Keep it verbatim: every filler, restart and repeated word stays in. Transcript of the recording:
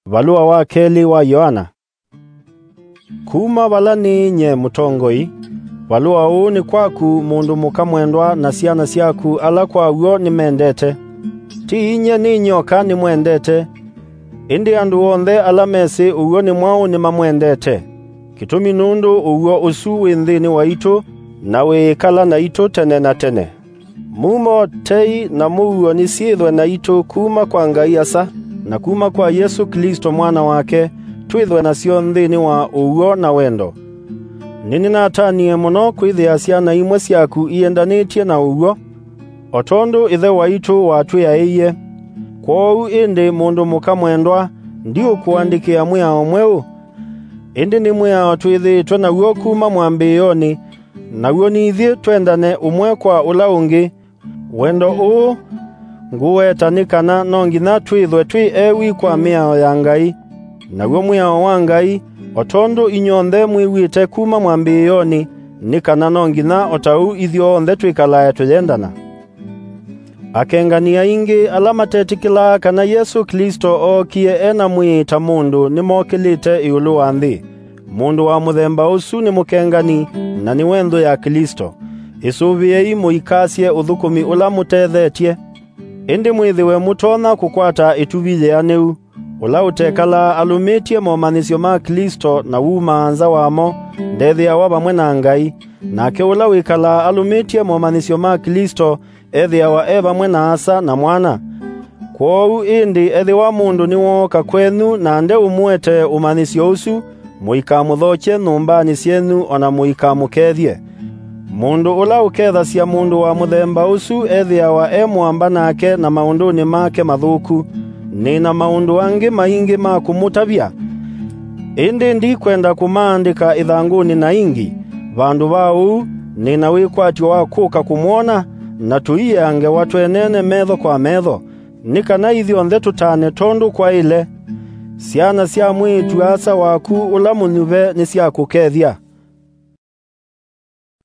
Valũa wa kelĩ wa Yoana. Kuma vala nĩ nyie mũtongoi, valũa ũũ nĩ kwaku, mũndũ mũka mwendwa, na syana syaku ala kwa w'o nĩmendete. Ti inyie nĩ nyoka nĩmwendete, ĩndĩ andũ onthe ala mesĩ ũw'o nĩ mwaũ nĩmamwendete. Kĩtumi nũndũ ũw'o ũsu wĩ nthĩnĩ waitũ, na wĩĩkala naitũ tene na tene. Mumo, tei, na mũuo nĩsyĩthwe naitũ kuma kwa Ngai Asa, na kuma kwa Yesũ Klĩsto Mwana wake, twĩthwe nasyo nthĩnĩ wa ũw'o na wendo. Nĩnĩnatanie mũno kwĩthĩa syana imwe syaku iendanĩtye na ũw'o, o tondũ Ĩthe waitũ watwĩaĩie. Kwoou ĩndĩ, mũndũ mũka mwendwa, ndiũkũandĩkĩa mwĩao mweũ, ĩndĩ nĩ mwĩao twĩthĩĩtwe naw'o kuma mwambĩĩonĩ, naw'o nĩ ithyĩ twendane ũmwe kwa ũla ũngĩ. Wendo ũũ ngũweta nĩ kana no nginya twĩthwe twĩ ewi kwa mĩao ya Ngai. Naw'o mwĩao wa Ngai, o tondũ inyw'onthe mwĩw'ĩte kuma mwambĩĩonĩ, nĩ kana no nginya o ta ũu ithyonthe twĩkalae tũyendana. Akengani aingĩ ala matetĩkĩlaa kana Yesũ Klĩsto ookie e na mwĩĩ ta mũndũ nĩmokĩlĩte ĩũlũ wa nthĩ. Mũndũ wa mũthemba ũsu nĩ mũkengani, na nĩwe nthũ ya Klĩsto. Ĩsũvĩei mũikasye ũthũkũmi ũla mũtethetye. Ĩndĩ mwĩthĩwe mũtonya kũkwata ĩtuvi yĩanĩu. Ũla ũtekalaa alũmĩtye momanyĩsyo ma Klĩsto na wumaa nza wamo, ndethĩawa vamwe na Ngai. Nake ũla wĩkalaa alũmĩtye momanyĩsyo ma Klĩsto ethĩawa e vamwe na Asa na Mwana. Kwoou ĩndĩ, ethĩwa mũndũ nĩwooka kwenyu na ndeũmũetee ũmanyĩsyo ũsu, mũikamũthokye nyũmbanĩ syenyu, o na mũikamũkethye. Mũndũ ũla ũkethasya mũndũ wa mũthemba ũsu ethĩawa e mũamba nake na maũndũnĩ make mathũku. Nĩ na maũndũ angĩ maingĩ ma kũmũtavya, ĩndĩ ndikwenda kũmaandĩka ĩthangũnĩ na ingi. Vandũ va ũu, nĩ na wĩkwatyo wa kũka kũmwona, na tũiea ngewa twenene metho kwa metho, nĩ kana ithyonthe tũtane tondũ kwaĩle. Syana sya mwĩĩtu-a-asa waku ũla mũnyuve nĩsyakũkethya.